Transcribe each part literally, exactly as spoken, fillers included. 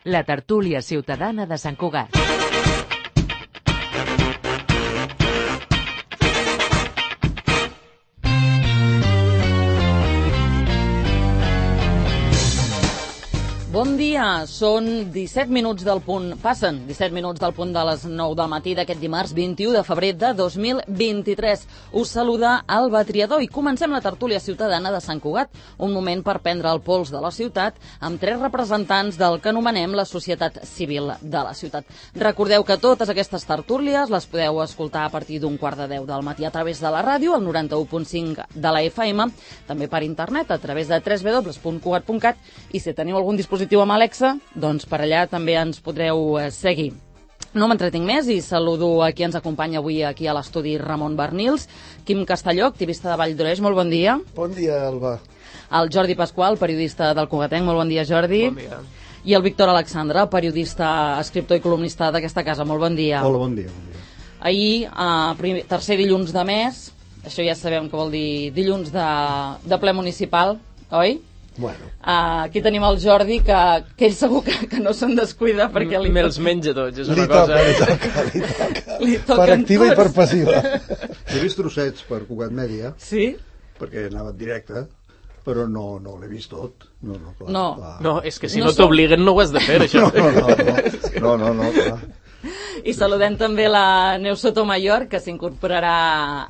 La tertúlia ciutadana de Sant Cugat. Bon dia, són disset minuts del punt, passen disset minuts del punt de les nou del matí d'aquest dimarts vint-i-u de febrer de dos mil vint-i-tres. Us saluda Alba Triador i comencem la tertúlia ciutadana de Sant Cugat, un moment per prendre el pols de la ciutat amb tres representants del que anomenem la societat civil de la ciutat. Recordeu que totes aquestes tertúlies les podeu escoltar a partir d'un quart de deu del matí a través de la ràdio, al noranta-u punt cinc de la F M, també per internet a través de w w w punt cugat punt cat i si teniu algun dispositiu amb Alexa, doncs per allà també ens podreu seguir. No m'entretinc més i saludo a qui ens acompanya avui aquí a l'estudi Ramon Barnils, Quim Castelló, activista de Vall d'Oreix, molt bon dia. Bon dia, Alba. El Jordi Pasqual, periodista del Cugatenc, molt bon dia, Jordi. Bon dia. I el Víctor Alexandre, periodista, escriptor i columnista d'aquesta casa, molt bon dia. Hola, bon dia. Bon dia. Ahir, uh, primer, tercer dilluns de mes, això ja sabem que vol dir dilluns de, de ple municipal, oi? Bueno. Uh, aquí tenim el Jordi, que, que ell segur que, que no se'n descuida perquè li... Me'ls menja tots, és una li cosa... Toca, li toca, li toca. Li per activa tots. I per passiva. He vist trossets per Cugat Mèdia, sí? perquè anava en directe, però no, no l'he vist tot. No, no, clar, no. Clar. no és que si no no t'obliguen no ho has de fer, això. No, no, no, no, no, no, clar. I saludem també la Neus Sotomayor, que s'incorporarà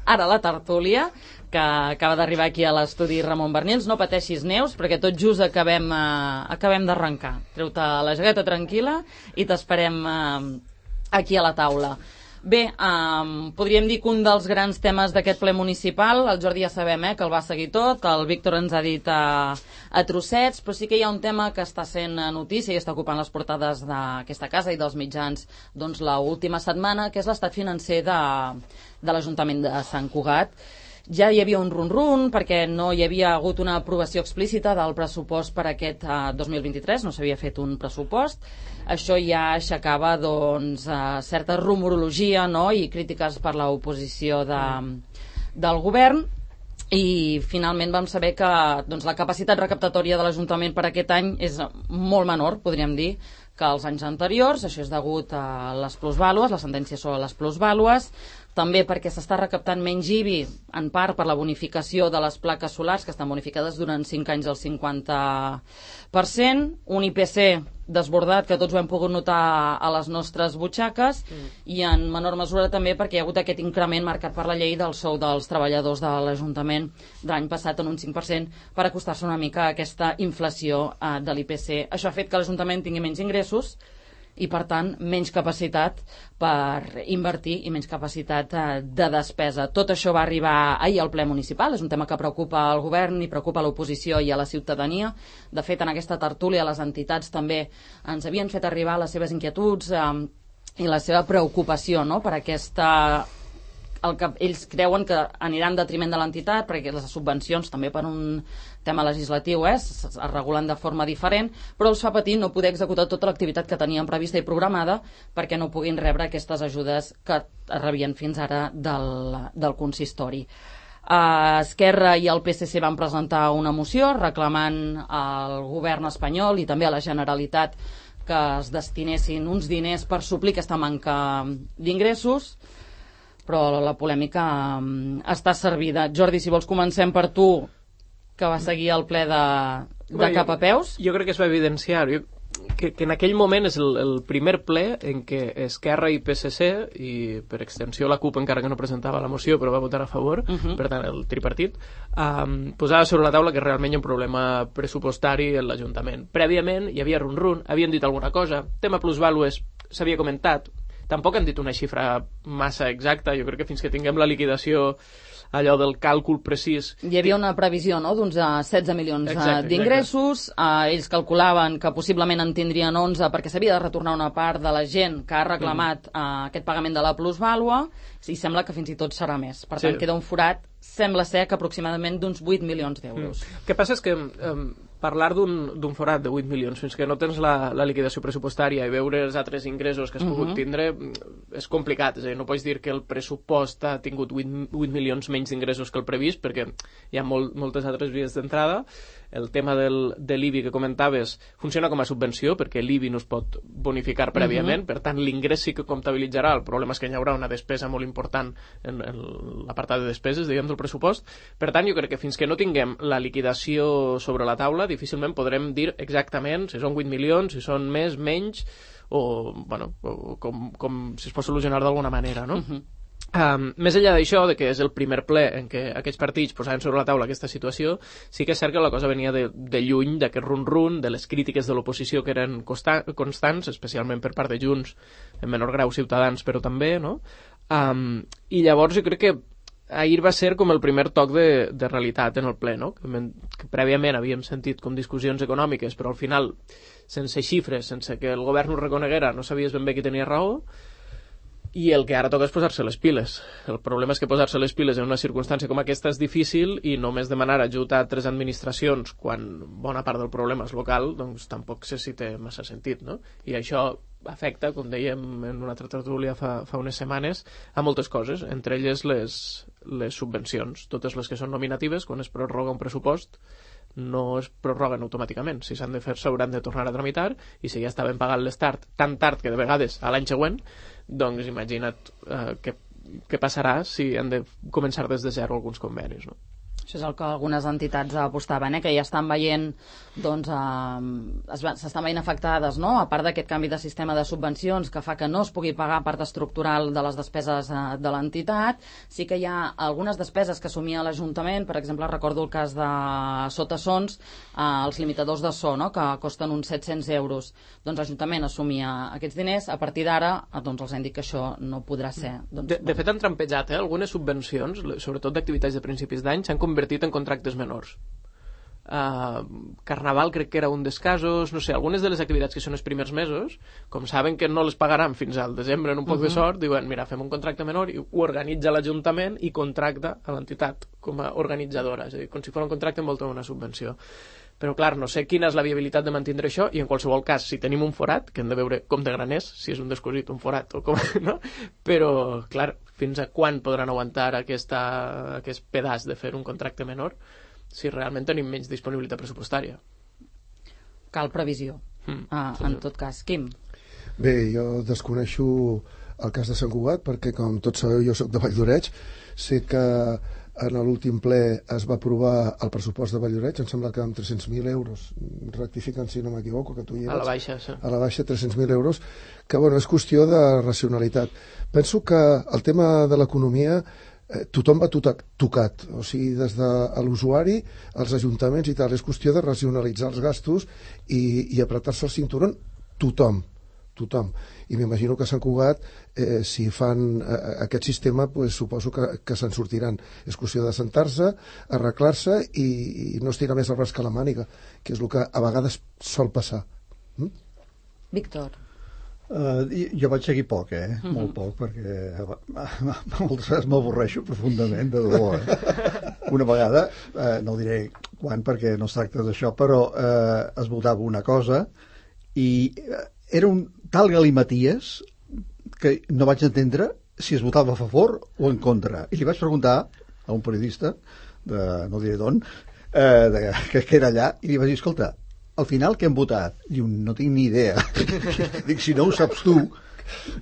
ara a la tertúlia, que acaba d'arribar aquí a l'estudi Ramon Barnils. No pateixis, Neus, perquè tot just acabem, eh, acabem d'arrencar. Treu-te la jaqueta tranquil·la i t'esperem eh, aquí a la taula. Bé, um, podríem dir que un dels grans temes d'aquest ple municipal, el Jordi ja sabem eh, que el va seguir tot, el Víctor ens ha dit a, a trossets, però sí que hi ha un tema que està sent notícia i està ocupant les portades d'aquesta casa i dels mitjans doncs, l'última setmana, que és l'estat financer de, de l'Ajuntament de Sant Cugat. Ja hi havia un run-run perquè no hi havia hagut una aprovació explícita del pressupost per aquest uh, dos mil vint-i-tres, no s'havia fet un pressupost. Això ja aixecava doncs, uh, certa rumorologia, no?, i crítiques per l'oposició de, del govern, i finalment vam saber que doncs, la capacitat recaptatòria de l'Ajuntament per aquest any és molt menor, podríem dir, que els anys anteriors. Això és degut a les plusvàlues, la sentència sobre les plusvàlues, també perquè s'està recaptant menys I B I, en part per la bonificació de les plaques solars, que estan bonificades durant cinc anys al cinquanta per cent, un I P C desbordat, que tots ho hem pogut notar a les nostres butxaques, mm. i en menor mesura també perquè hi ha hagut aquest increment marcat per la llei del sou dels treballadors de l'Ajuntament de l'any passat en un cinc per cent per acostar-se una mica a aquesta inflació eh, de l'I P C. Això ha fet que l'Ajuntament tingui menys ingressos i, per tant, menys capacitat per invertir i menys capacitat eh, de despesa. Tot això va arribar ahir al ple municipal, és un tema que preocupa al govern i preocupa a l'oposició i a la ciutadania. De fet, en aquesta tertúlia les entitats també ens havien fet arribar les seves inquietuds eh, i la seva preocupació, no?, per aquesta... el que ells creuen que anirà en detriment de l'entitat, perquè les subvencions també per un tema legislatiu eh, es, es regulen de forma diferent, però els fa patir no poder executar tota l'activitat que tenien prevista i programada perquè no puguin rebre aquestes ajudes que rebien fins ara del, del consistori. Uh, Esquerra i el P S C van presentar una moció reclamant al govern espanyol i també a la Generalitat que es destinessin uns diners per suplir aquesta manca d'ingressos, però la polèmica um, està servida. Jordi, si vols comencem per tu, que va seguir el ple de, de bueno, cap a peus. Jo, jo crec que es va evidenciar jo, que, que en aquell moment és el, el primer ple en què Esquerra i P S C, i per extensió la CUP encara que no presentava la moció però va votar a favor, uh -huh. per tant el tripartit, um, posava sobre la taula que realment hi ha un problema pressupostari en l'Ajuntament. Prèviament hi havia run-run, havien dit alguna cosa, tema plusvàlues s'havia comentat, tampoc han dit una xifra massa exacta, jo crec que fins que tinguem la liquidació, allò del càlcul precís... Hi havia una previsió, no?, d'uns setze milions d'ingressos, eh, ells calculaven que possiblement en tindrien onze perquè s'havia de retornar una part de la gent que ha reclamat eh, aquest pagament de la plusvàlua, i sembla que fins i tot serà més. Per tant, sí. Queda un forat, sembla ser que aproximadament d'uns vuit milions d'euros. Mm. El que passa és que um, parlar d'un forat de vuit milions fins que no tens la, la liquidació pressupostària i veure els altres ingressos que has uh -huh. pogut tindre és complicat, és a dir, no pots dir que el pressupost ha tingut vuit milions menys d'ingressos que el previst perquè hi ha molt, moltes altres vies d'entrada el tema del, de l'I B I que comentaves funciona com a subvenció, perquè l'I B I no es pot bonificar prèviament, uh-huh. per tant l'ingrés sí que comptabilitzarà, el problema és que hi haurà una despesa molt important en, en l'apartat de despeses, diguem, del pressupost. Per tant, jo crec que fins que no tinguem la liquidació sobre la taula, difícilment podrem dir exactament si són vuit milions, si són més, menys, o, bueno, o com, com si es pot solucionar d'alguna manera, no? Uh-huh. Um, més enllà d'això, de que és el primer ple en què aquests partits posaven sobre la taula aquesta situació, sí que és cert que la cosa venia de, de lluny, d'aquest run-run, de les crítiques de l'oposició que eren consta constants, especialment per part de Junts, en menor grau Ciutadans, però també, no? Um, I llavors jo crec que ahir va ser com el primer toc de, de realitat en el ple, no? Que, que prèviament havíem sentit com discussions econòmiques, però al final, sense xifres, sense que el govern ho reconeguera, no sabies ben bé qui tenia raó, i el que ara toca és posar-se les piles. El problema és que posar-se les piles en una circumstància com aquesta és difícil, i només demanar ajut a tres administracions quan bona part del problema és local, doncs tampoc sé si té massa sentit, no? I això afecta, com dèiem en una altra tertúlia fa, fa unes setmanes, a moltes coses, entre elles les, les subvencions, totes les que són nominatives. Quan es prorroga un pressupost no es prorroguen automàticament, si s'han de fer s'hauran de tornar a tramitar, i si ja estaven pagant-les tard, tan tard que de vegades a l'any següent, doncs imagina't eh, què, què passarà si han de començar des de zero alguns convenis, no? Això és el que algunes entitats apostaven, eh? Que ja estan veient, doncs, eh, s'estan veient afectades, no? A part d'aquest canvi de sistema de subvencions que fa que no es pugui pagar part estructural de les despeses eh, de l'entitat, sí que hi ha algunes despeses que assumia l'Ajuntament. Per exemple, recordo el cas de Sotasons, eh, els limitadors de so, no? Que costen uns set-cents euros. Doncs l'Ajuntament assumia aquests diners. A partir d'ara, eh, doncs els han dit que això no podrà ser. Doncs, de, de fet, han trampejat, eh? Algunes subvencions, sobretot d'activitats de principis d'any, s'han convertit en contractes menors. Uh, Carnaval crec que era un dels casos, no sé, algunes de les activitats que són els primers mesos, com saben que no les pagaran fins al desembre en un poc uh-huh. de sort, diuen, mira, fem un contracte menor, i ho organitza l'Ajuntament i contracta a l'entitat com a organitzadora, és a dir, com si fos un contracte envoltat d'una subvenció. Però clar, no sé quina és la viabilitat de mantenir això, i en qualsevol cas, si tenim un forat, que hem de veure com de gran és, si és un descosit, un forat o com, no? Però clar, fins a quan podran aguantar aquesta, aquest pedaç de fer un contracte menor si realment tenim menys disponibilitat pressupostària? Cal previsió, mm, ah, sí. En tot cas. Quim? Bé, jo desconeixo el cas de Sant Cugat, perquè com tots sabeu jo soc de Valldoreix, sé que en l'últim ple es va aprovar el pressupost de Valldoreix, em sembla que amb tres-cents mil euros, rectificant si no m'equivoco, que tu hi eres. A la baixa, sí. A la baixa, tres-cents mil euros, que bueno, és qüestió de racionalitat. Penso que el tema de l'economia eh, tothom va tocat, tocat, o sigui, des de l'usuari, als ajuntaments i tal, és qüestió de racionalitzar els gastos i, i apretar-se el cinturón tothom. tothom. I m'imagino que a Sant Cugat, eh, si fan eh, aquest sistema, pues, suposo que, que se'n sortiran. És qüestió de sentar-se, arreglar-se i, i no estirar més el braç que la màniga, que és el que a vegades sol passar. Mm? Víctor. Uh, jo vaig seguir poc, eh? Mm-hmm. Molt poc, perquè moltes vegades m'avorreixo profundament, de debò, eh? Una vegada, eh, no diré quan perquè no es tracta d'això, però eh, es votava una cosa i eh, era un tal galimaties que no vaig entendre si es votava a favor o en contra. I li vaig preguntar a un periodista, de, no diré d'on, eh, de, que, que era allà, i li vaig dir, escolta, al final què hem votat? Diu, no tinc ni idea. Dic, si no ho saps tu,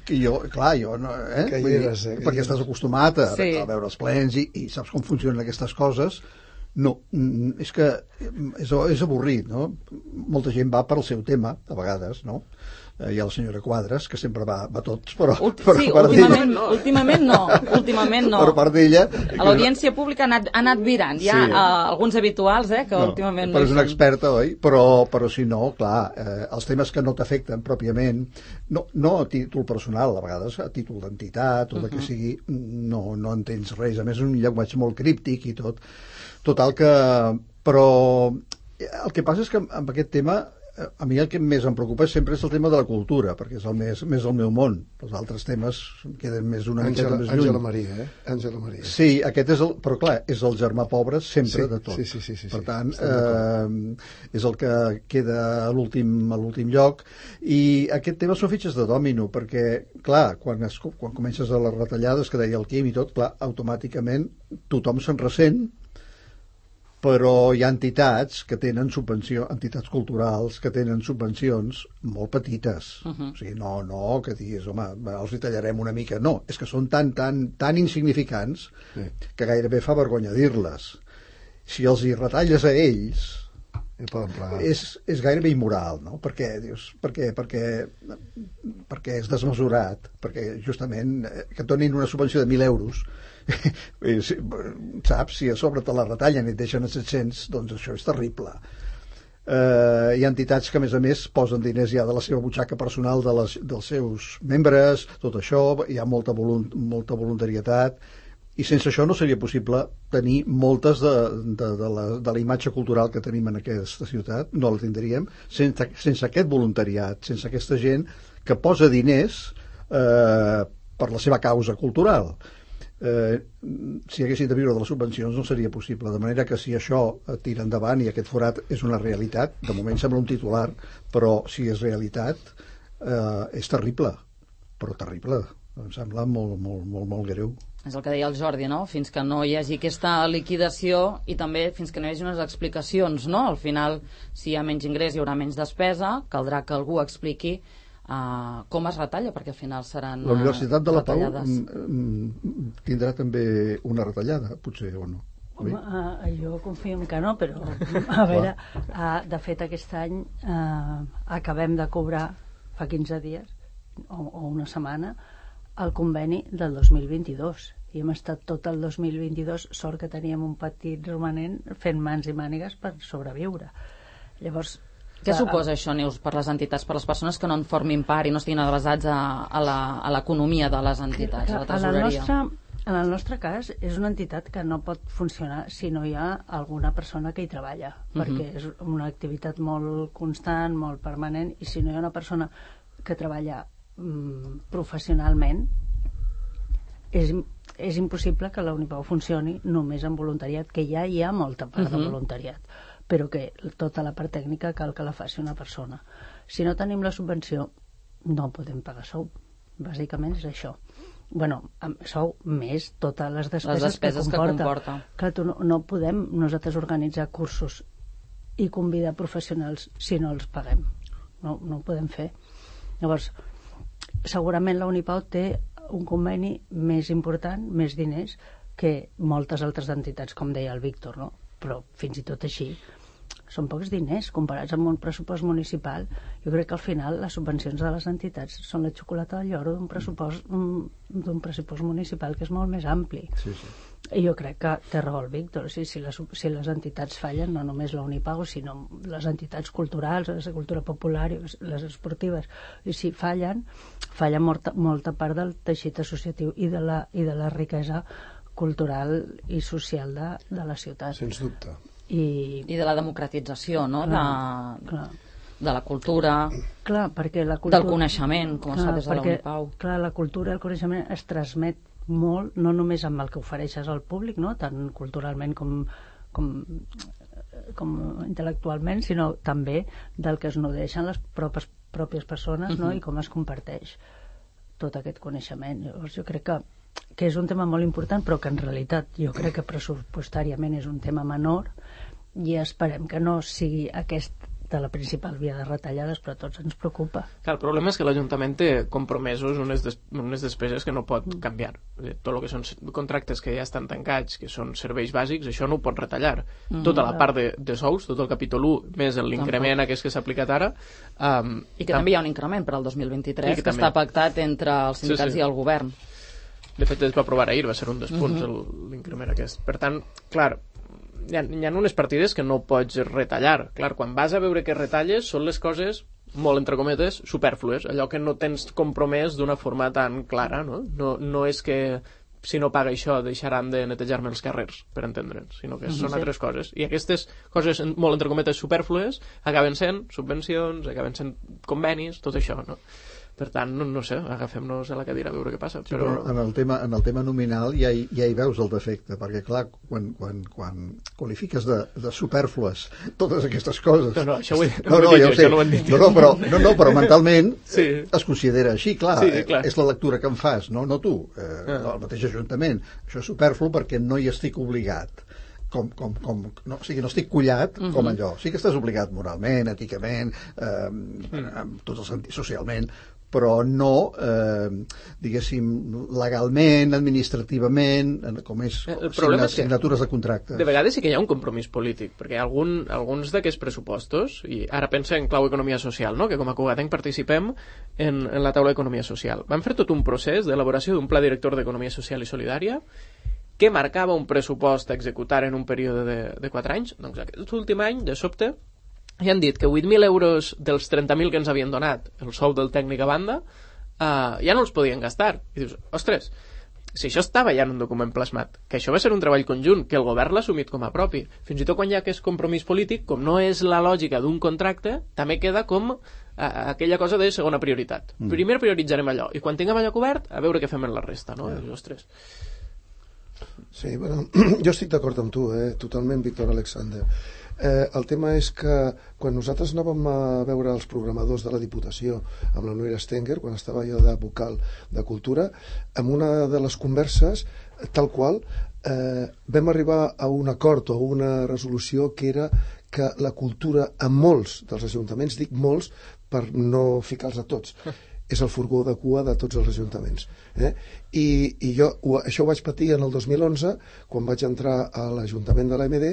que jo, clar, jo no, eh? Que hi eres, eh? Perquè estàs acostumat a, sí. a veure els plens i, i saps com funcionen aquestes coses. No, és que és, és avorrit, no? Molta gent va per al seu tema, a vegades, no? Hi ha la senyora Quadres, que sempre va, va tots, però... Ult però sí, últimament no. últimament no, últimament no. Per part d'ella... A l'audiència pública ha anat, ha anat virant. Hi ha sí. uh, alguns habituals, eh, que no, últimament no però és una experta, oi? Però, però si no, clar, eh, els temes que no t'afecten pròpiament, no, no a títol personal, a vegades a títol d'entitat o de que sigui, no, no entens res. A més, és un llenguatge molt críptic i tot. Total que... Però el que passa és que amb aquest tema... A mi el que més em preocupa sempre és el tema de la cultura, perquè és el més, més el meu món. Els altres temes queden més una miqueta més lluny. Àngela Maria, eh? Àngela Maria. Sí, aquest és el... Però clar, és el germà pobre sempre sí, de tot. Sí, sí, sí, sí, per tant, sí, eh, és el que queda a l'últim lloc. I aquest tema són fitxes de dòmino, perquè, clar, quan, es, quan comences a les retallades, que deia el Quim i tot, clar, automàticament tothom se'n ressent, però hi ha entitats que tenen subvenció, entitats culturals que tenen subvencions molt petites. Uh-huh. O sigui, no, no, que diguis, home, els hi tallarem una mica. No, és que són tan, tan, tan insignificants sí. que gairebé fa vergonya dir-les. Si els hi retalles a ells, és, és gairebé immoral, no? Per què, dius? Perquè, perquè, perquè és desmesurat, perquè justament que et donin una subvenció de mil euros saps, si a sobre te la retallen i et deixen a set-cents, doncs això és terrible. Uh, hi ha entitats que a més a més posen diners ja de la seva butxaca personal de les, dels seus membres, tot això, hi ha molta, volunt, molta voluntarietat, i sense això no seria possible tenir moltes de, de, de, la, de la imatge cultural que tenim en aquesta ciutat, no la tindríem sense, sense aquest voluntariat, sense aquesta gent que posa diners eh, per la seva causa cultural. Eh, si haguessin de viure de les subvencions no seria possible, de manera que si això tira endavant i aquest forat és una realitat, de moment sembla un titular, però si és realitat eh, és terrible, però terrible, em sembla molt, molt, molt, molt greu. És el que deia el Jordi, no? Fins que no hi hagi aquesta liquidació i també fins que no hi hagi unes explicacions, no? Al final, si hi ha menys ingrés hi haurà menys despesa, caldrà que algú expliqui Uh, com es retalla, perquè al final seran la Universitat de la Pau retallades. Tindrà també una retallada, potser, o no? Home, uh, jo confio que no, però a veure, uh, de fet aquest any uh, acabem de cobrar fa quinze dies o, o una setmana el conveni del dos mil vint-i-dos i hem estat tot el dos mil vint-i-dos, sort que teníem un petit romanent fent mans i mànigues per sobreviure. Llavors què suposa això, Neus, per les entitats, per les persones que no en formin part i no estiguin adreçats a, a l'economia de les entitats, a la tresoreria? En el, nostre, en el nostre cas, és una entitat que no pot funcionar si no hi ha alguna persona que hi treballa, uh-huh. perquè és una activitat molt constant, molt permanent, i si no hi ha una persona que treballa mm, professionalment, és, és impossible que la Unipau funcioni només amb voluntariat, que ja hi ha molta part uh-huh. de voluntariat, però que tota la part tècnica cal que la faci una persona. Si no tenim la subvenció, no podem pagar sou. Bàsicament és això. Bueno, sou més totes les despeses, les despeses que comporta. Que comporta. Clar, tu no, no podem nosaltres organitzar cursos i convidar professionals si no els paguem. No, no ho podem fer. Llavors, segurament la Unipau té un conveni més important, més diners, que moltes altres entitats, com deia el Víctor, no? Però fins i tot així són pocs diners comparats amb un pressupost municipal. Jo crec que al final les subvencions de les entitats són la xocolata del lloro d'un pressupost d'un pressupost municipal que és molt més ampli. Sí, sí. I jo crec que té raó el Víctor, o sigui, si, les, si les entitats fallen, no només la Unipau, sinó les entitats culturals, la cultura popular, les esportives, i si fallen, falla molta, molta part del teixit associatiu i de la, i de la riquesa cultural i social de, de la ciutat. Sens dubte. I, I de la democratització, no? Clar, de, clar. de la cultura, clar, perquè la cultura, del coneixement, com clar, es fa des de perquè, la Unipau. Clar, la cultura i el coneixement es transmet molt, no només amb el que ofereixes al públic, no? Tant culturalment com, com, com intel·lectualment, sinó també del que es nodreixen les pròpies, pròpies persones, uh-huh. no? I com es comparteix tot aquest coneixement. Llavors, jo crec que que és un tema molt important, però que en realitat jo crec que pressupostàriament és un tema menor i esperem que no sigui aquesta la principal via de retallades, però a tots ens preocupa. Clar, el problema és que l'Ajuntament té compromesos unes, des, unes despeses que no pot canviar. Tot el que són contractes que ja estan tancats, que són serveis bàsics, això no ho pot retallar. Mm, tota la part de, de sous, tot el capítol u, més l'increment aquest que s'ha aplicat ara. Um, I que tam- també hi ha un increment per al dos mil vint-i-tres, que, que està pactat entre els sindicats sí, sí. i el govern. De fet, es va aprovar ahir, va ser un dels punts, uh-huh. l'increment aquest. Per tant, clar, hi ha, hi ha unes partides que no pots retallar. Clar, quan vas a veure que retalles, són les coses, molt entre cometes, superflues, allò que no tens compromès d'una forma tan clara, no? No, no és que si no paga això deixaran de netejar-me els carrers, per entendre'ns, sinó que uh-huh. són altres coses. I aquestes coses, molt entre cometes, superflues, acaben sent subvencions, acaben sent convenis, tot això, no? Per tant, no, no sé, agafem-nos a la cadira a veure què passa. Sí, però... però en el tema, en el tema nominal ja hi, ja hi veus el defecte, perquè clar, quan, quan, quan qualifiques de, de superflues totes aquestes coses... No, no, això ho he, no, no, dit, ja ho sé. no ho dit. No, no, però, no, no, però mentalment sí. es considera així, clar, sí, clar, és la lectura que em fas, no, no tu, eh, ah. el mateix Ajuntament. Això és superflu perquè no hi estic obligat. com, com, com, no, o sigui, no estic collat uh-huh. com allò. Sí que estàs obligat moralment, èticament, eh, en tots els sentits, socialment, però no, eh, diguéssim, legalment, administrativament, com és, el problema és que signatures de contractes. De vegades sí que hi ha un compromís polític, perquè algun, alguns d'aquests pressupostos, i ara pensa en clau economia social, no? Que com a Cugatenc participem en, en la taula d'economia social. Vam fer tot un procés d'elaboració d'un pla director d'economia social i solidària que marcava un pressupost a executar en un període de, de quatre anys. Doncs aquest últim any, de sobte, ja han dit que vuit mil euros dels trenta mil que ens havien donat el sou del tècnic a banda eh, ja no els podien gastar. I dius, ostres, si això estava ja en un document plasmat, que això va ser un treball conjunt, que el govern l'ha assumit com a propi, fins i tot quan hi ha aquest compromís polític, com no és la lògica d'un contracte, també queda com eh, aquella cosa de segona prioritat. Mm. Primer prioritzarem allò, i quan tinguem allò cobert, a veure què fem en la resta, no? Yeah. Dius, ostres. Sí, bueno, jo estic d'acord amb tu, eh? Totalment, Víctor Alexander. Eh, el tema és que quan nosaltres anàvem a veure els programadors de la Diputació amb la Noira Stenger, quan estava jo de vocal de Cultura, en una de les converses, tal qual, eh, vam arribar a un acord o una resolució que era que la cultura en molts dels ajuntaments, dic molts per no ficar-los a tots, és el furgó de cua de tots els ajuntaments. Eh? I, i jo ho, això ho vaig patir en el dos mil onze, quan vaig entrar a l'Ajuntament de l'A M D,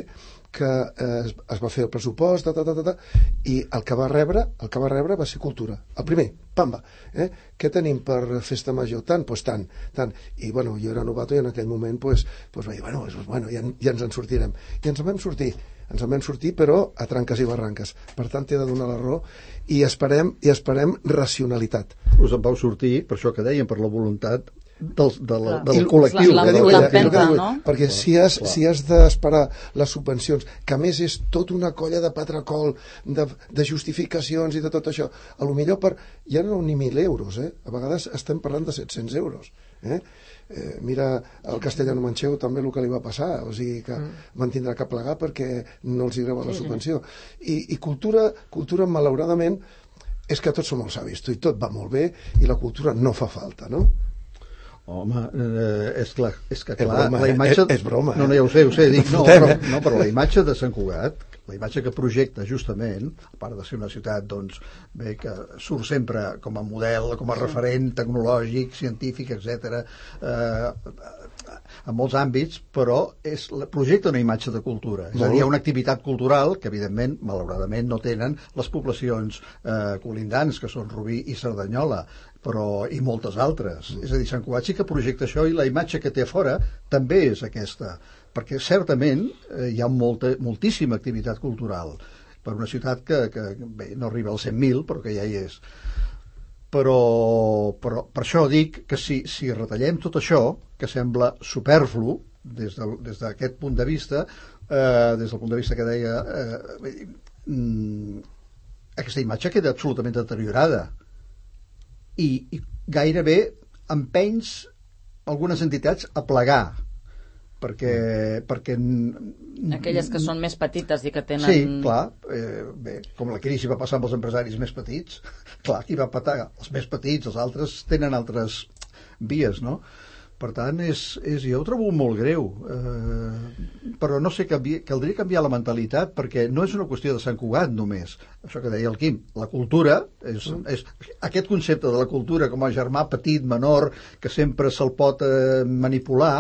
que eh, es, es va fer el pressupost, ta, ta, ta, ta, i el que va rebre el que va rebre va ser cultura. El primer, pamba. Eh? Què tenim per festa major? Tant? Doncs pues tant, tant. I bueno, jo era novato i en aquell moment pues, pues vaig dir, bueno, pues, bueno ja, ja ens en sortirem. I ens en vam sortir. Ens en vam sortir, però a tranques i barranques. Per tant, t'he de donar la raó i esperem, i esperem racionalitat. Us en vau sortir, per això que dèiem, per la voluntat del, de la, del col·lectiu. La, la, la empenta, no? Perquè clar, si has, si has d'esperar les subvencions, que a més és tota una colla de patracol, de, de justificacions i de tot això, a lo millor per, ja no ni mil euros, eh? A vegades estem parlant de set-cents euros. Eh? Eh, mira el Castellano Manchego també el que li va passar, o sigui que mm. van tindrà que plegar perquè no els agrada la subvenció. I, i cultura, cultura malauradament és que tots som molt savis, i tot va molt bé i la cultura no fa falta, no? Home, eh, és, clar, és que és clar, broma, la imatge... És, és broma. No, no, ja ho sé, ho sé, dic, no, però, no, però la imatge de Sant Cugat, la imatge que projecta justament, a part de ser una ciutat doncs, bé, que surt sempre com a model, com a referent tecnològic, científic, etcètera, eh, en molts àmbits, però és, projecta una imatge de cultura. És a dir, hi ha una activitat cultural que, evidentment, malauradament, no tenen les poblacions eh, colindants, que són Rubí i Cerdanyola, però i moltes altres. Mm. És a dir, Sant Cugat sí que projecta això i la imatge que té a fora també és aquesta, perquè certament eh, hi ha molta, moltíssima activitat cultural per una ciutat que, que bé, no arriba als cent mil, però que ja hi és. Però, però per això dic que si, si retallem tot això, que sembla superflu des de, des d'aquest punt de vista, eh, des del punt de vista que deia, eh, mm, aquesta imatge queda absolutament deteriorada. I, i gairebé empenys algunes entitats a plegar perquè, perquè aquelles que són més petites i que tenen... Sí, clar, eh, bé, com la crisi va passar amb els empresaris més petits, clar, qui va patar? Els més petits, els altres tenen altres vies, no? Per tant, és, és, jo ho trobo molt greu, eh, però no sé, canvi, caldria canviar la mentalitat, perquè no és una qüestió de Sant Cugat només, això que deia el Quim, la cultura, és, és, aquest concepte de la cultura com a germà petit, menor, que sempre se'l pot eh, manipular,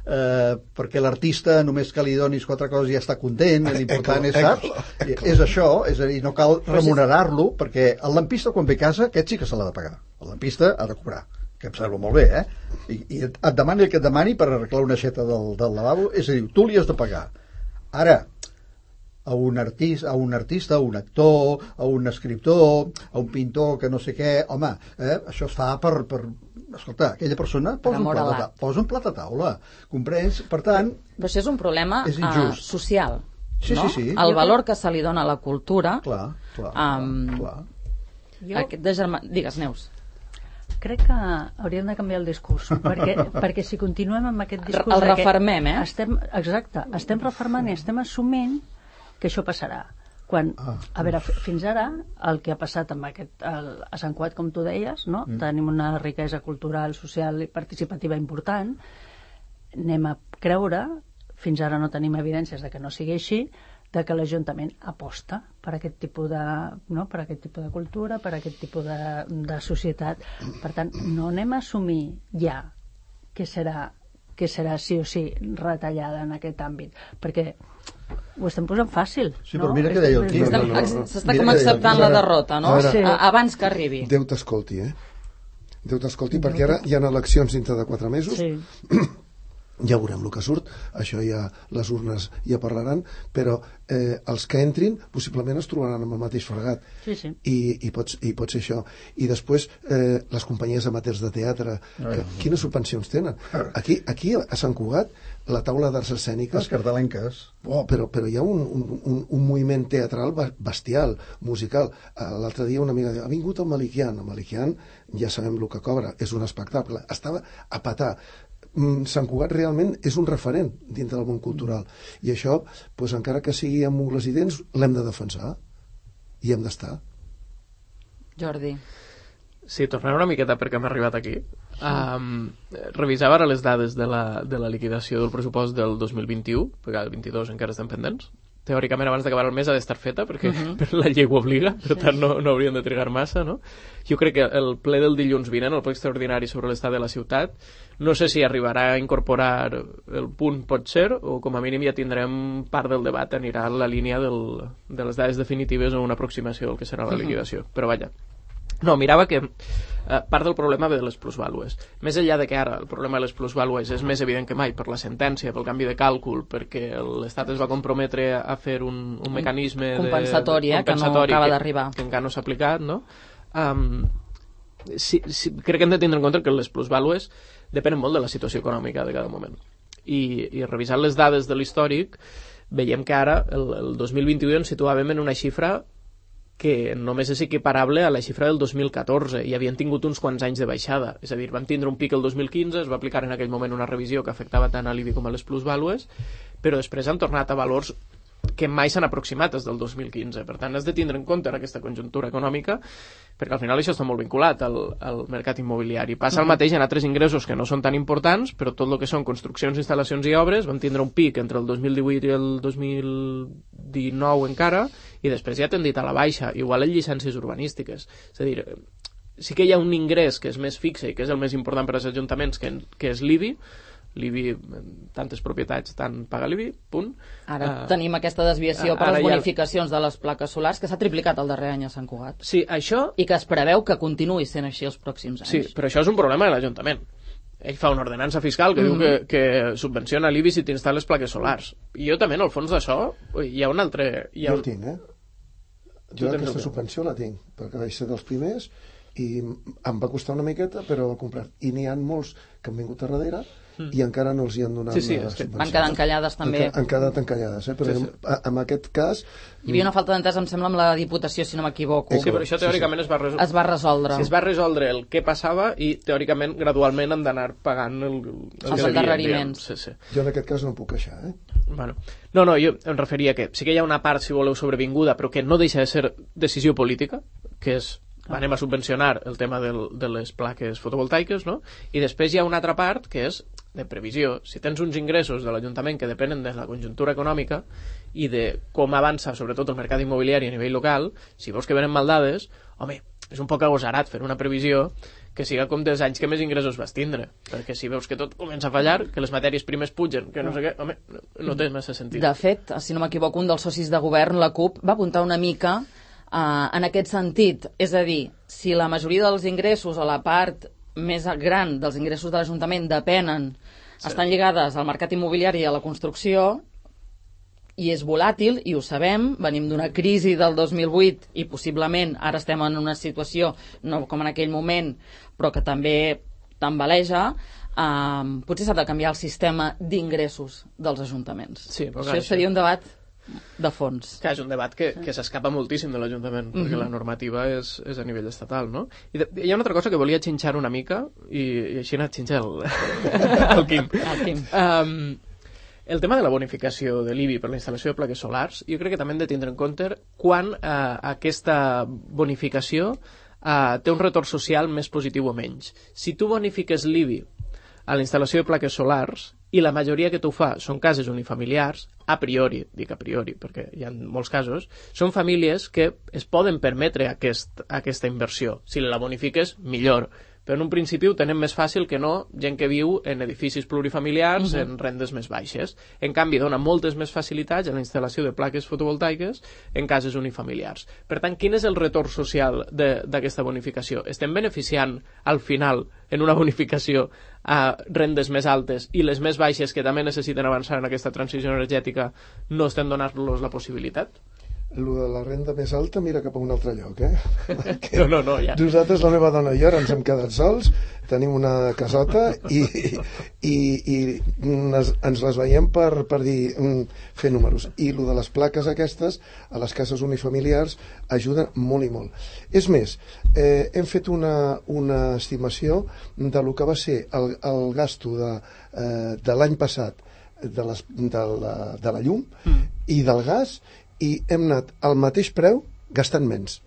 eh, perquè l'artista només que li donis quatre coses ja està content, l'important és, saps? És això, és a dir, no cal remunerar-lo, perquè el lampista quan ve a casa, aquest sí que se l'ha de pagar, el lampista ha de cobrar, que em sembla molt bé, eh? I, i et demani el que et demani per arreglar una aixeta del, del lavabo, és a dir, tu li has de pagar. Ara, a un artista, a un artista, a un actor, a un escriptor, a un pintor que no sé què, home, eh? Això es fa per, per... Escolta, aquella persona posa un, plat a, posa un plat a taula, comprens? Per tant... Però això és un problema és uh, social, sí, no? Sí, sí. El valor que se li dona a la cultura... Clar, clar, um, clar. Jo... Aquest de germà... Digues, Neus. Crec que hauríem de canviar el discurs, perquè, perquè si continuem amb aquest discurs... El refermem, eh? Estem, exacte, estem refermant i estem assumint que això passarà. Quan, ah, a veure, fins ara, el que ha passat amb aquest, el, a Sant Cugat, com tu deies, no? Mm. Tenim una riquesa cultural, social i participativa important, anem a creure, fins ara no tenim evidències de que no sigui així, de que l'Ajuntament aposta per aquest tipus de, no? per aquest tipus de cultura, per aquest tipus de, de societat. Per tant, no anem a assumir ja que serà, que serà sí o sí retallada en aquest àmbit, perquè ho estem posant fàcil. Sí, no? però mira què deia el Quim. No, no, no. S'està com acceptant la derrota, no? Ara, Sí. Abans que arribi. Déu t'escolti, eh? Déu t'escolti, perquè ara hi ha eleccions dintre de quatre mesos. Sí. Ja veurem el que surt, això ja les urnes ja parlaran, però eh, els que entrin possiblement es trobaran amb el mateix fregat. Sí, sí. I, i, pot, i pot ser això. I després eh, les companyies amateurs de teatre, que, quines subvencions tenen? Aquí, aquí a Sant Cugat, la taula d'arts escèniques... Les cartalenques. Oh, però, però hi ha un, un, un, un moviment teatral bestial, musical. L'altre dia una amiga diu, ha vingut el Malikian. El Malikian ja sabem el que cobra, és un espectacle. Estava a petar. Sant Cugat realment és un referent dintre del món cultural i això, doncs, encara que sigui amb ungles i dents, l'hem de defensar i hem d'estar. Jordi. Sí, tornaré una miqueta perquè hem arribat aquí. Um, revisava ara les dades de la, de la liquidació del pressupost del dos mil vint-i-u, perquè el vint-i-dos encara estem pendents. Teòricament abans d'acabar el mes ha d'estar feta perquè uh -huh. per la llei ho obliga, per tant no, no haurien de trigar massa, no? Jo crec que el ple del dilluns vinent, el ple extraordinari sobre l'estat de la ciutat, no sé si arribarà a incorporar el punt pot ser, o com a mínim ja tindrem part del debat, anirà en la línia del, de les dades definitives o una aproximació del que serà la liquidació, però vaja. No, mirava que eh, part del problema ve de les plusvàlues. Més enllà de que ara el problema de les plusvàlues és més evident que mai per la sentència, pel canvi de càlcul, perquè l'Estat es va comprometre a fer un, un mecanisme compensatori, de, eh, que no acaba d'arribar. Que, que encara no s'ha aplicat, no? Um, sí, sí, crec que hem de tindre en compte que les plusvàlues depenen molt de la situació econòmica de cada moment. I, i revisant les dades de l'històric, veiem que ara, el, el dos mil vint-i-u, ens situàvem en una xifra que només és equiparable a la xifra del dos mil catorze i havien tingut uns quants anys de baixada. És a dir, van tindre un pic el dos mil quinze, es va aplicar en aquell moment una revisió que afectava tant a l'I B I com a les plusvàlues, però després han tornat a valors que mai s'han aproximat des del dos mil quinze. Per tant, has de tindre en compte en aquesta conjuntura econòmica, perquè al final això està molt vinculat al, al mercat immobiliari. Passa el mateix en altres ingressos que no són tan importants, però tot el que són construccions, instal·lacions i obres van tindre un pic entre el dos mil divuit i el dos mil dinou encara, i després ja ha tendit a la baixa, igual en llicències urbanístiques. És a dir, sí que hi ha un ingrés que és més fixe i que és el més important per als ajuntaments, que, que és l'I B I. L'I B I, tantes propietats, tant paga l'I B I, punt. Ara uh, tenim aquesta desviació per les bonificacions ha... de les plaques solars, que s'ha triplicat el darrer any a Sant Cugat. Sí, això... I que es preveu que continuï sent així els pròxims anys. Sí, però això és un problema de l'Ajuntament. Ell fa una ordenança fiscal que mm-hmm. diu que, que subvenciona l'I B I si t'instal·les plaques solars. I jo també, en el fons d'això, hi ha un altre... Hi ha jo un... el tinc, eh? Jo aquesta subvenció la tinc, perquè vaig ser dels primers i em va costar una miqueta, però ho he comprat. I n'hi ha molts que han vingut a darrere mm. i encara no els hi han donat sí, sí, la subvenció. Van quedar encallades també. Han, han quedat encallades, eh? Però sí, sí. En, en aquest cas... Hi havia una falta d'entesa, em sembla, amb la Diputació, si no m'equivoco. Sí, però això teòricament sí, sí. Es, va resol... es va resoldre. Sí, es va resoldre el què passava i teòricament gradualment han d'anar pagant el, el els endarreriments. Sí, sí. Jo en aquest cas no puc queixar, eh? Bueno, no, no, jo em referia que sí que hi ha una part, si voleu, sobrevinguda, però que no deixa de ser decisió política, que és ah. anem a subvencionar el tema del, de les plaques fotovoltaiques, no? I després hi ha una altra part que és de previsió. Si tens uns ingressos de l'Ajuntament que depenen de la conjuntura econòmica i de com avança sobretot el mercat immobiliari a nivell local, si veus que venen mal dades, home, és un poc agosarat fer una previsió que siga com dels anys que més ingressos vas tindre, perquè si veus que tot comença a fallar, que les matèries primes pugen, que no sé què, home, no, no té massa sentit. De fet, si no m'equivoco, un dels socis de govern, la CUP, va apuntar una mica uh, en aquest sentit, és a dir, si la majoria dels ingressos o la part més gran dels ingressos de l'Ajuntament depenen, sí. estan lligades al mercat immobiliari i a la construcció, i és volàtil, i ho sabem, venim d'una crisi del dos mil vuit i possiblement ara estem en una situació, no com en aquell moment, però que també tambaleja, eh, potser s'ha de canviar el sistema d'ingressos dels ajuntaments. Sí, però això seria un debat de fons. Que és un debat que, que s'escapa moltíssim de l'Ajuntament, mm-hmm. perquè la normativa és, és a nivell estatal, no? I de, hi ha una altra cosa que volia xinxar una mica, i, i així ha anat xinxar el, el Quim. El Quim. Um, el tema de la bonificació de l'I B I per la instal·lació de plaques solars, jo crec que també hem de tindre en compte quan eh, aquesta bonificació eh, té un retorn social més positiu o menys. Si tu bonifiques l'I B I a la instal·lació de plaques solars i la majoria que t'ho fa són cases unifamiliars, a priori, dic a priori, perquè hi ha molts casos, són famílies que es poden permetre aquest, aquesta inversió. Si la bonifiques, millor. Però en un principi ho tenen més fàcil que no gent que viu en edificis plurifamiliars, uh-huh. en rendes més baixes. En canvi, dona moltes més facilitats en la instal·lació de plaques fotovoltaiques en cases unifamiliars. Per tant, quin és el retorn social d'aquesta bonificació? Estem beneficiant, al final, en una bonificació a rendes més altes i les més baixes que també necessiten avançar en aquesta transició energètica no estem donant-los la possibilitat? Lo de la renda més alta mira cap a un altre lloc, eh? No, no, no, ja. Nosaltres, la meva dona i jo, ara ens hem quedat sols, tenim una casota i, i, i ens, ens les veiem per, per dir, fer números. I lo de les plaques aquestes, a les cases unifamiliars, ajuda molt i molt. És més, eh, hem fet una, una estimació de lo que va ser el, el gasto de, eh, de l'any passat de, les, de, la, de la llum mm. i del gas, i hem anat al mateix preu gastant menys.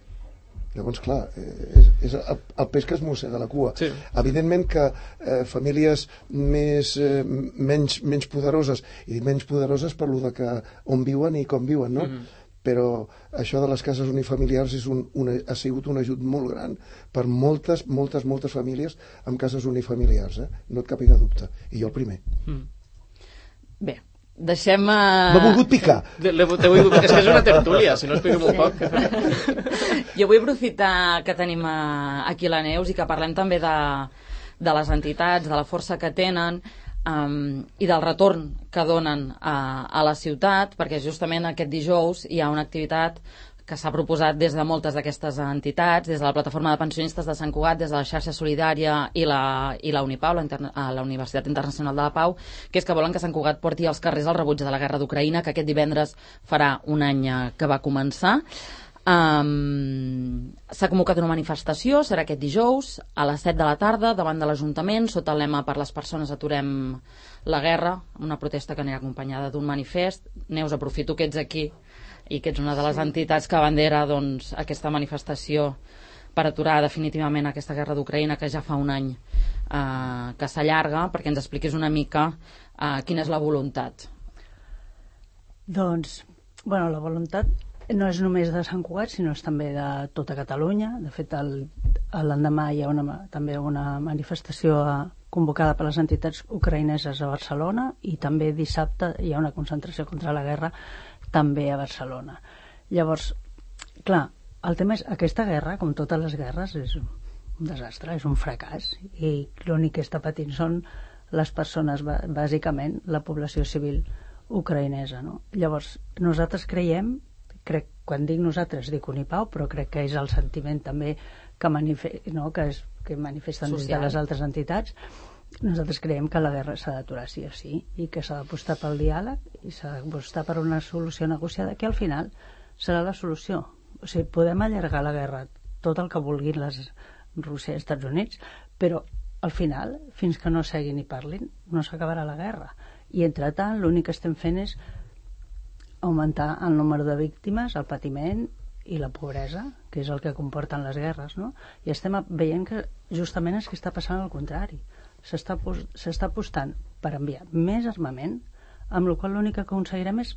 Llavors, clar, és, és el, el peix que es mossega la cua. Sí. Evidentment que eh, famílies més, eh, menys, menys poderoses, i menys poderoses per lo de que on viuen i com viuen, no? Mm-hmm. Però això de les cases unifamiliars és un, una, ha sigut un ajut molt gran per moltes, moltes, moltes famílies amb cases unifamiliars, eh? No et càpiga dubte. I jo el primer. Mm. Bé, deixem... Uh... M'ha volgut picar. De, de, de, de, és que és una tertúlia, si no explico molt poc. Jo vull aprofitar que tenim aquí la Neus i que parlem també de, de les entitats, de la força que tenen um, i del retorn que donen a, a la ciutat, perquè justament aquest dijous hi ha una activitat que s'ha proposat des de moltes d'aquestes entitats, des de la Plataforma de Pensionistes de Sant Cugat, des de la Xarxa Solidària i la, i la Unipau, la, Interna la Universitat Internacional de la Pau, que és que volen que Sant Cugat porti als carrers el rebuig de la guerra d'Ucraïna, que aquest divendres farà un any que va començar. Um, s'ha convocat una manifestació, serà aquest dijous, a les set de la tarda, davant de l'Ajuntament, sota el lema Per les persones aturem la guerra, una protesta que anirà acompanyada d'un manifest. Neus, aprofito que ets aquí i que ets una de les entitats que abandera doncs, aquesta manifestació per aturar definitivament aquesta guerra d'Ucraïna que ja fa un any eh, que s'allarga, perquè ens expliquis una mica eh, quina és la voluntat. Doncs, bueno, la voluntat no és només de Sant Cugat, sinó és també de tota Catalunya. De fet, l'endemà hi ha una, també una manifestació convocada per les entitats ucraïneses a Barcelona i també dissabte hi ha una concentració contra la guerra també a Barcelona. Llavors, clar, el tema és aquesta guerra, com totes les guerres, és un desastre, és un fracàs, i l'únic que està patint són les persones, bàsicament la població civil ucraïnesa, no? Llavors, nosaltres creiem, crec, quan dic nosaltres dic Unipau, però crec que és el sentiment també que, manife no? que, és, que manifesten des de les altres entitats. Nosaltres creiem que la guerra s'ha d'aturar sí o sí i que s'ha d'apostar pel diàleg i s'ha d'apostar per una solució negociada que al final serà la solució. O sigui, podem allargar la guerra tot el que vulguin les Rússia i Estats Units, però al final, fins que no seguin i parlin, no s'acabarà la guerra. I entretant, l'únic que estem fent és augmentar el número de víctimes, el patiment i la pobresa, que és el que comporten les guerres, no? I estem veient que justament és que està passant el contrari. S'està apostant per enviar més armament, amb la qual l'únic que aconseguirem és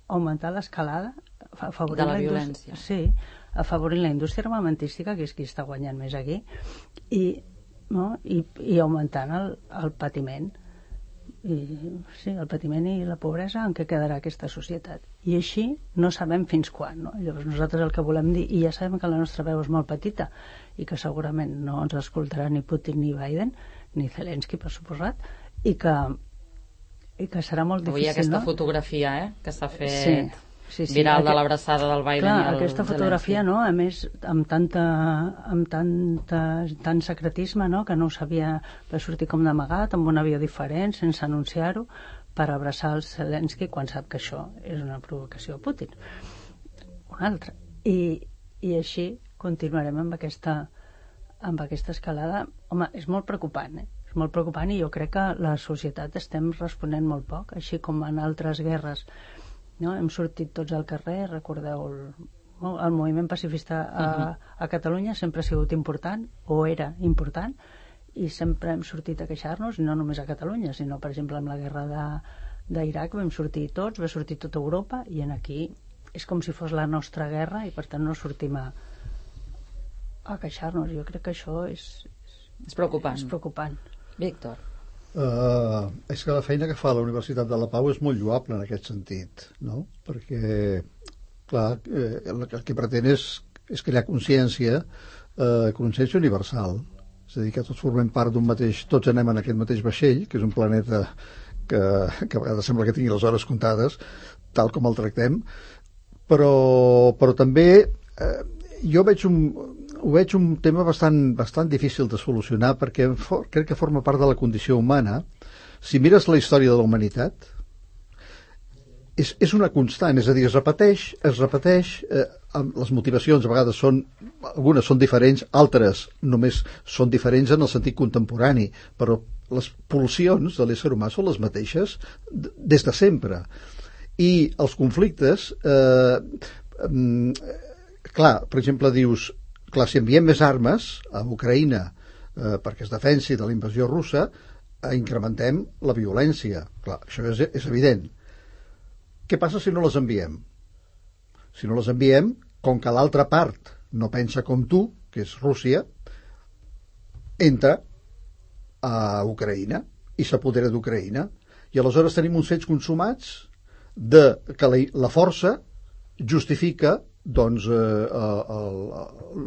augmentar l'escalada de la violència. Sí, afavorint la indústria armamentística, que és qui està guanyant més aquí, i, no? I, i augmentant el, el patiment. I, sí, el patiment i la pobresa en què quedarà aquesta societat. I així no sabem fins quan, no? Llavors nosaltres el que volem dir, i ja sabem que la nostra veu és molt petita i que segurament no ens escoltarà ni Putin ni Biden ni Zelensky, per suposat, i que, i que serà molt difícil. Avui aquesta no? fotografia eh, que s'ha fet sí, sí, sí. viral Aquest, de l'abraçada del Biden clar, i el aquesta Zelensky. Fotografia, no? A més, amb, tanta, amb tanta, tant secretisme, no? Que no ho sabia, va sortir com d'amagat, amb un avió diferent, sense anunciar-ho, per abraçar el Zelensky quan sap que això és una provocació a Putin. Un altre. I, i així continuarem amb aquesta amb aquesta escalada. Home, és molt preocupant, eh? És molt preocupant i jo crec que la societat estem responent molt poc, així com en altres guerres, no? Hem sortit tots al carrer, recordeu el, el moviment pacifista a, a Catalunya sempre ha sigut important, o era important, i sempre hem sortit a queixar-nos, i no només a Catalunya, sinó, per exemple, amb la guerra de, d'Iraq vam sortir tots, va sortir tota Europa, i en aquí és com si fos la nostra guerra, i per tant no sortim a, a queixar-nos. Jo crec que això és, és preocupant. És preocupant. Víctor. Uh, és que la feina que fa la Universitat de la Pau és molt lloable en aquest sentit, no? Perquè, clar, eh, el, el que pretén és, és crear consciència, eh, consciència universal. És a dir, que tots formem part d'un mateix, tots anem en aquest mateix vaixell, que és un planeta que, que a vegades sembla que tingui les hores comptades, tal com el tractem, però, però també eh, jo veig un, ho veig un tema bastant, bastant difícil de solucionar, perquè for, crec que forma part de la condició humana. Si mires la història de la humanitat, és, és una constant, és a dir, es repeteix, es repeteix, eh, amb les motivacions a vegades són, algunes són diferents, altres només són diferents en el sentit contemporani, però les pulsions de l'ésser humà són les mateixes des de sempre. I els conflictes, eh, eh, clar, per exemple, dius, clar, si enviem més armes a Ucraïna eh, perquè es defensi de la invasió russa, eh, incrementem la violència. Clar, això és, és evident. Què passa si no les enviem? Si no les enviem, com que l'altra part no pensa com tu, que és Rússia, entra a Ucraïna i s'apodera d'Ucraïna. I aleshores tenim uns fets consumats de que la, la força justifica doncs eh,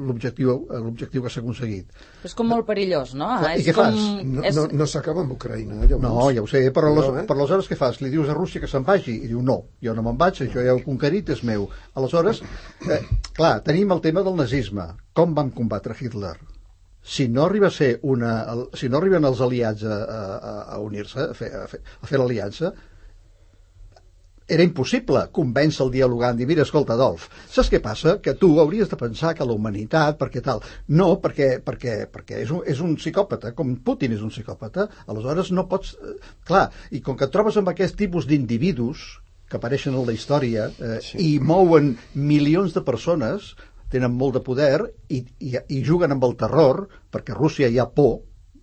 l'objectiu l'objectiu que s'ha aconseguit. És com molt perillós, no? Clar, és i què com... fas? No, és... no, no s'acaba amb Ucraïna, llavors. No, ja ho sé, però, no, les, eh? però aleshores què fas? Li dius a Rússia que se'n vagi? I diu, no, jo no me'n vaig, això ja ho he conquerit, és meu. Aleshores, eh, clar, tenim el tema del nazisme. Com vam combatre Hitler? Si no arriba a ser una... Si no arriben els aliats a, a, a unir-se, a fer, a fer, a fer l'aliança, era impossible convèncer el dialogant, dir, mira, escolta, Adolf, saps què passa? Que tu hauries de pensar que la humanitat, perquè tal... No, perquè, perquè, perquè és, un, és un psicòpata, com Putin és un psicòpata, aleshores no pots... Clar, i com que et trobes amb aquest tipus d'individus que apareixen en la història eh, sí. i mouen milions de persones, tenen molt de poder i, i, i juguen amb el terror, perquè a Rússia hi ha por,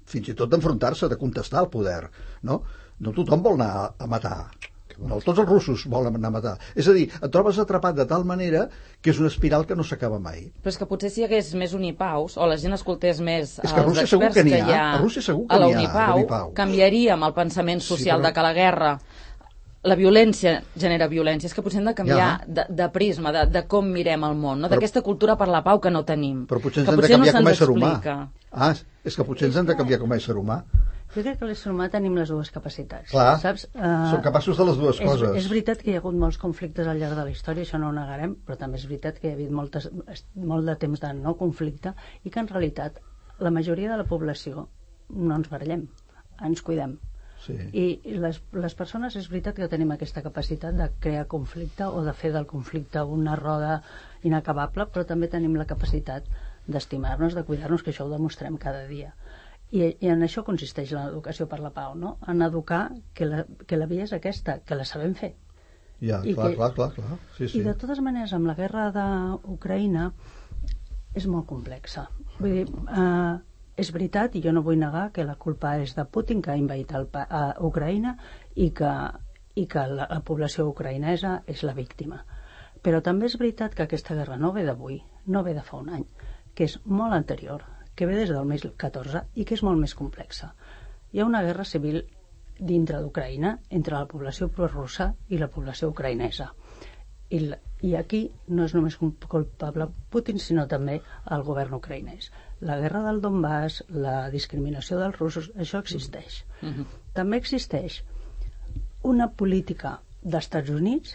fins i tot d'enfrontar-se, de contestar al poder, no? No tothom vol anar a matar. No, tots els russos volen anar a matar. És a dir, et trobes atrapat de tal manera que és una espiral que no s'acaba mai. Però és que potser si hi hagués més Unipaus, o la gent escoltés més és que a Rússia els segur experts que, que hi ha a, Rússia segur que a la n'hi ha, Unipau, Unipau, canviaríem el pensament social sí, però... però... de que la guerra, la violència genera violència. És que potser hem de canviar ja. de, de prisma, de, de com mirem el món, no? Però... d'aquesta cultura per la pau que no tenim. Però potser ens que hem potser de canviar no com a ésser humà. explica. Ah, és que potser ens hem de canviar com a ésser humà. Jo crec que l'ésser humà tenim les dues capacitats. Clar, saps? Uh, som capaços de les dues és, coses. És veritat que hi ha hagut molts conflictes al llarg de la història, això no ho negarem, però també és veritat que hi ha hagut moltes, molt de temps de no conflicte i que en realitat la majoria de la població no ens barallem, ens cuidem. Sí. I les, les persones és veritat que tenim aquesta capacitat de crear conflicte o de fer del conflicte una roda inacabable, però també tenim la capacitat d'estimar-nos, de cuidar-nos, que això ho demostrem cada dia. I, i en això consisteix l'educació per la pau, no? En educar que la, que la via és aquesta, que la sabem fer. Ja, I clar, que, clar, clar, clar. Sí, sí. I de totes maneres, amb la guerra d'Ucraïna és molt complexa. Vull dir, eh, és veritat, i jo no vull negar que la culpa és de Putin, que ha invaït el, a Ucraïna, i que, i que la, la població ucraïnesa és la víctima. Però també és veritat que aquesta guerra no ve d'avui, no ve de fa un any, que és molt anterior, que ve des del dos mil catorze i que és molt més complexa. Hi ha una guerra civil dintre d'Ucraïna entre la població prorussa i la població ucraïnesa. I, la, I aquí no és només culpable Putin, sinó també el govern ucraïnès. La guerra del Donbass, la discriminació dels russos, això existeix. Mm-hmm. També existeix una política d'Estats Units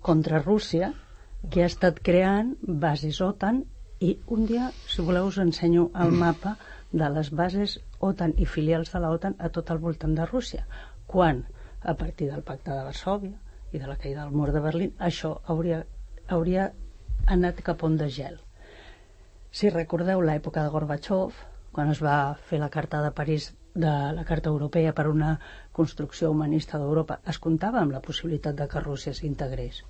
contra Rússia que ha estat creant bases OTAN. I un dia, si voleu, us ensenyo el mapa de les bases OTAN i filials de la OTAN a tot el voltant de Rússia, quan, a partir del pacte de Varsòvia i de la caïda del mur de Berlín, això hauria, hauria anat cap on de gel. Si recordeu l'època de Gorbachev, quan es va fer la Carta de París, de la Carta Europea per una construcció humanista d'Europa, es comptava amb la possibilitat de que Rússia s'integrés.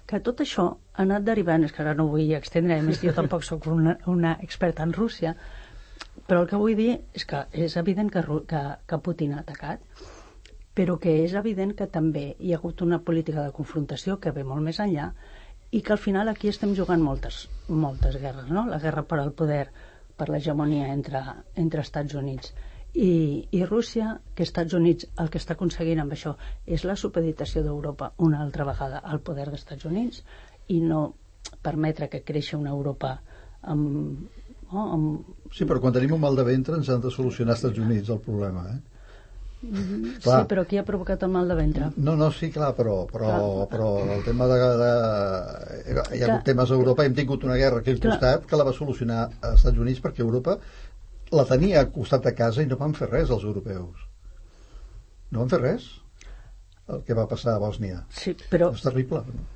Que tot això ha anat derivant, és que ara no vull extendre, a més jo tampoc sóc una, una experta en Rússia, però el que vull dir és que és evident que, que, que Putin ha atacat, però que és evident que també hi ha hagut una política de confrontació que ve molt més enllà i que al final aquí estem jugant moltes, moltes guerres, no? La guerra per al poder, per l'hegemonia entre, entre Estats Units i, i Rússia, que Estats Units el que està aconseguint amb això és la supeditació d'Europa una altra vegada al poder dels Units i no permetre que creixi una Europa amb... No, amb... Sí, però quan tenim un mal de ventre ens han de solucionar als Estats Units el problema, eh? Mm, sí, però qui ha provocat el mal de ventre? No, no, sí, clar, però, però, però el tema de, de... Hi ha hagut clar. temes a Europa, hem tingut una guerra aquí al costat que la va solucionar als Estats Units perquè Europa la tenia al costat de casa i no van fer res els europeus. No van fer res el que va passar a Bòsnia. Sí, però... És terrible, no?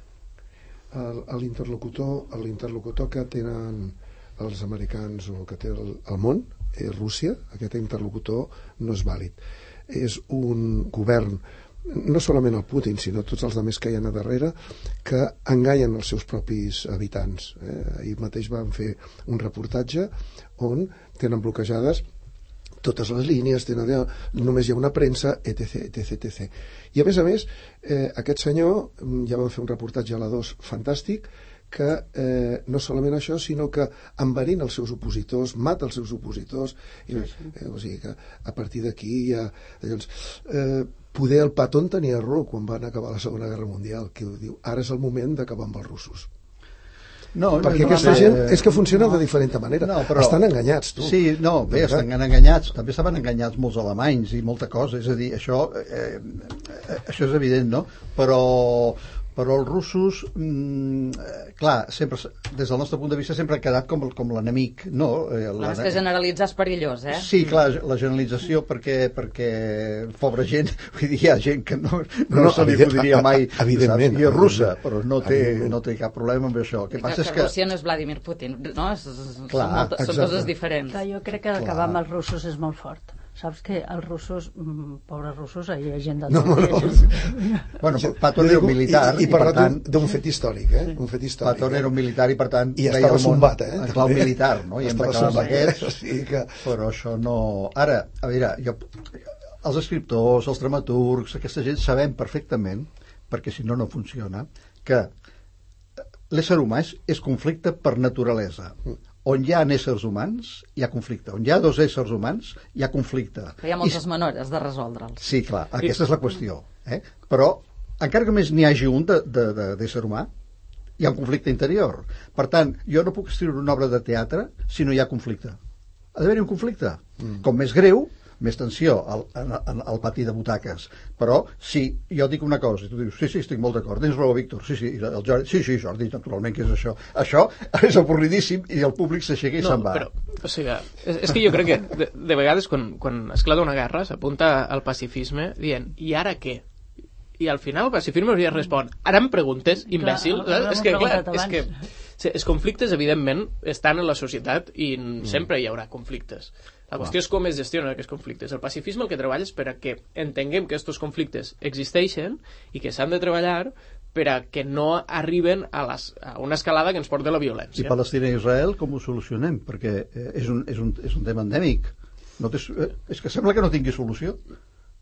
L'interlocutor l'interlocutor que tenen els americans o que té el, el món és Rússia. Aquest interlocutor no és vàlid. És un govern, no solament el Putin, sinó tots els altres que hi ha a darrere, que enganyen els seus propis habitants. Eh? Ahir mateix van fer un reportatge on tenen bloquejades totes les línies, tenen, només hi ha una premsa, etc, etc, etc. I a més a més, eh, aquest senyor, ja van fer un reportatge a la dos fantàstic, que eh, no solament això, sinó que enverina els seus opositors, mata els seus opositors, i, eh, o sigui que a partir d'aquí ja... Llavors, eh, poder el Patton tenia raó quan van acabar la Segona Guerra Mundial, que diu, ara és el moment d'acabar amb els russos. No, perquè no, aquesta no, gent és que funciona no, de diferent manera. No, però, estan enganyats, tu. Sí, no, bé, estan enganyats. També estaven enganyats molts alemanys i molta cosa. És a dir, això, eh, això és evident, no? Però, però els russos, mm, clar, sempre, des del nostre punt de vista, sempre han quedat com, com l'enemic, no? Eh, la, és que generalitzar és perillós, eh? Sí, clar, la generalització perquè, perquè pobra gent, vull dir, hi ha gent que no, no, no se li podria mai evidentment, i és russa, però no té, no té cap problema amb això. El que passa que, és que Rússia no és Vladimir Putin, no? És, clar, són, molta, són coses diferents. Clar, jo crec que acabar amb els russos és molt fort. Saps que els russos, mmm, pobres russos, hi ha gent de no, no, no. Bueno, Patton era un militar i, i, i per tant d'un fet històric, eh? Un fet històric. Patton era un militar i per tant i estava sombat, eh? En clau militar, no? I hem d'acabar amb aquests, o sigui que... però això no... Ara, a veure, jo, els escriptors, els dramaturgs, aquesta gent sabem perfectament, perquè si no no funciona, que l'ésser humà és, és conflicte per naturalesa. On hi ha éssers humans, hi ha conflicte. On hi ha dos éssers humans, hi ha conflicte. Hi ha moltes I... maneres de resoldre'ls. Sí, clar, aquesta és la qüestió. Eh? Però, encara que més n'hi hagi un d'ésser humà, hi ha un conflicte interior. Per tant, jo no puc escriure una obra de teatre si no hi ha conflicte. Ha d'haver-hi un conflicte. Mm. Com més greu, més tensió al, al, al pati de butaques. Però si jo dic una cosa i tu dius, sí, sí, estic molt d'acord, tens raó, Víctor, sí, sí, el Jordi, sí, sí, Jordi, naturalment, què és això? Això és avorridíssim i el públic s'aixeca i no, se'n va. Però, o sigui, és, és que jo crec que de, de vegades quan, quan esclata una guerra s'apunta al pacifisme dient, i ara què? I al final el pacifisme hauria respon, ara em preguntes, imbècil? Clar, és que, clar, és que sí, els conflictes, evidentment, estan en la societat i mm. sempre hi haurà conflictes. La qüestió és com es gestionen aquests conflictes. El pacifisme el que treballa és per a que entenguem que aquests conflictes existeixen i que s'han de treballar per a que no arriben a, les, a una escalada que ens porta a la violència. I Palestina i Israel com ho solucionem? Perquè és un, és un, és un tema endèmic. No té, és que sembla que no tingui solució.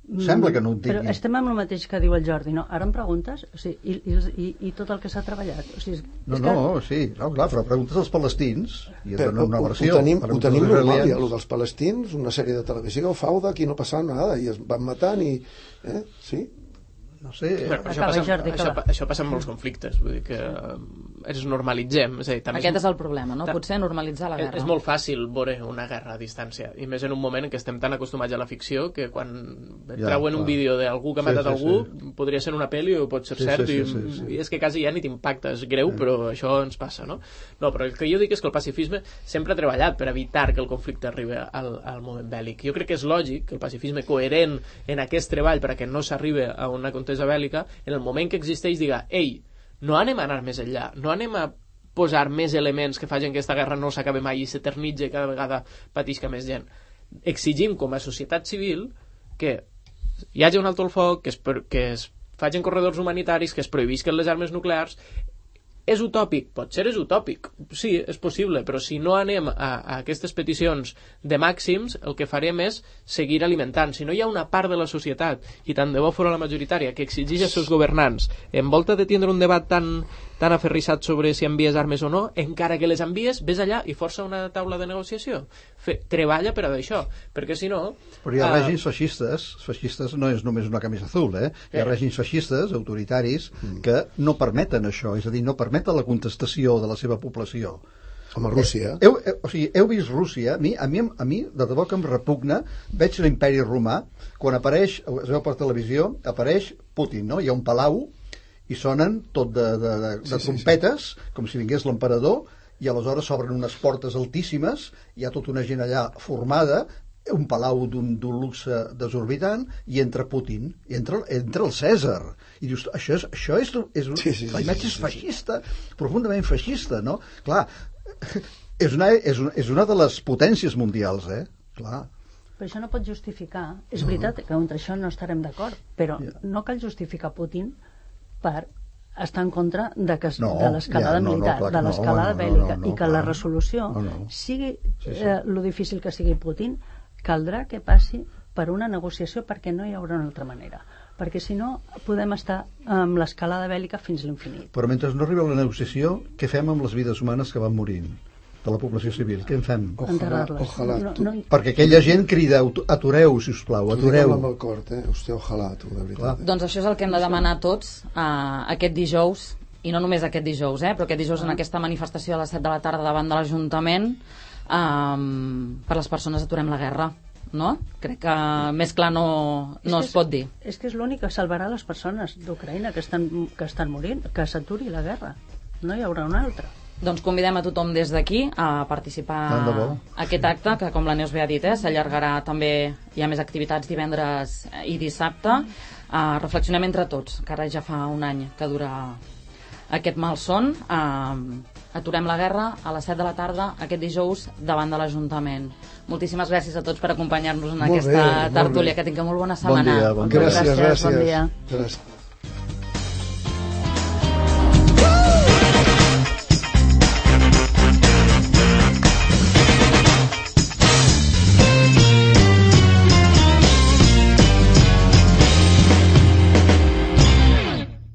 Sembla que no ho tingui. Però estem amb el mateix que diu el Jordi, no? Ara em preguntes? O sigui, i, i, i tot el que s'ha treballat? O sigui, no, no, que... sí, no, clar, però preguntes als palestins i et donen una versió. Ho tenim, ho tenim normal, ja, el dels palestins, una sèrie de televisió, Fauda, aquí no passava nada, i es van matant i... Eh? Sí? No sé... Però, però això, passa, Jordi, això, això passa amb molts conflictes, vull dir que ens normalitzem. És a dir, també Aquest és el problema, no? Potser normalitzar la guerra. És, és molt fàcil veure una guerra a distància, i més en un moment en què estem tan acostumats a la ficció que quan et ja, treuen clar. un vídeo d'algú que ha matat sí, sí, algú, sí. podria ser una pel·li o pot ser sí, cert, sí, sí, sí, sí. i és que quasi ja ni t'impacta, és greu, sí. però això ens passa, no? No, però el que jo dic és que el pacifisme sempre ha treballat per evitar que el conflicte arribi al, al moment bèl·lic. Jo crec que és lògic que el pacifisme coherent en aquest treball per a que no s'arribi a una contesa bèl·lica, en el moment que existeix diga, ei, no anem a anar més enllà, no anem a posar més elements que facin que aquesta guerra no s'acabi mai i s'eternitzi i cada vegada patisca més gent. Exigim com a societat civil que hi hagi un alto el foc, que es, que es facin corredors humanitaris, que es prohibisquen les armes nuclears, És utòpic? Potser és utòpic. Sí, és possible, però si no anem a, a aquestes peticions de màxims, el que farem és seguir alimentant. Si no hi ha una part de la societat, i tant de bo fora la majoritària, que exigeix als seus governants, envolta de tindre un debat tan, tan aferrissat sobre si envies armes o no, encara que les envies, vés allà i força una taula de negociació. Fe, treballa per a això, perquè si no... Però hi ha uh, règims feixistes, feixistes no és només una camisa azul, eh? Hi ha eh. règims feixistes, autoritaris, que no permeten això, és a dir, no permeten la contestació de la seva població. Com a Rússia. Heu, heu, o sigui, heu vist Rússia, a mi, a mi, a mi de debò que em repugna, veig l'imperi romà, quan apareix, es veu per televisió, apareix Putin, no? Hi ha un palau i sonen tot de, de, de, de sí, trompetes, sí, sí. com si vingués l'emperador, i aleshores s'obren unes portes altíssimes, hi ha tota una gent allà formada, un palau d'un luxe desorbitant, i entra Putin, i entra, entra el Cèsar, i dius, això és, això és, és sí, sí, la imatge sí, sí, és sí, feixista, sí. profundament feixista, no? Clar, és una, és, una, és una de les potències mundials, eh? Clar. Però això no pot justificar. És veritat que contra això no estarem d'acord, però Yeah. no cal justificar Putin per estar en contra de, que, No, de l'escalada ja, no, no, militar, clar que de no, l'escalada no, no, bèl·lica, no, no, i que clar. la resolució No, no. sigui Sí, sí. eh, lo difícil que sigui Putin, caldrà que passi per una negociació, perquè no hi haurà una altra manera. Perquè si no podem estar amb l'escalada bèl·lica fins a l'infinit. Però mentre no arriba la negociació, què fem amb les vides humanes que van morint? De la població civil, què en fem? Ojalà, Enterrar-les. ojalà. No, Tu, no, Perquè aquella gent crida, atureu, si us plau, tu atureu. amb el cor, eh? Hòstia, ojalà, tu, de veritat. Eh? Doncs això és el que hem de demanar tots uh, aquest dijous, i no només aquest dijous, eh, però aquest dijous en aquesta manifestació a les set de la tarda davant de l'Ajuntament, um, per les persones aturem la guerra, no? Crec que més clar no, no es és, pot dir. És que és l'únic que salvarà les persones d'Ucraïna que estan, que estan morint, que s'aturi la guerra. No hi haurà una altra. Doncs convidem a tothom des d'aquí a participar Tant de bo. a aquest acte, que com la Neus bé ha dit, eh, s'allargarà també, hi ha més activitats divendres i dissabte. Uh, reflexionem entre tots, que ara ja fa un any que dura aquest malson. Uh, aturem la guerra a les set de la tarda aquest dijous davant de l'Ajuntament. Moltíssimes gràcies a tots per acompanyar-nos en Molt aquesta bé, molt tertúlia. bé. Que tingueu molt bona Bon setmana. dia, bon dia. Gràcies, gràcies. Bon dia. Gràcies.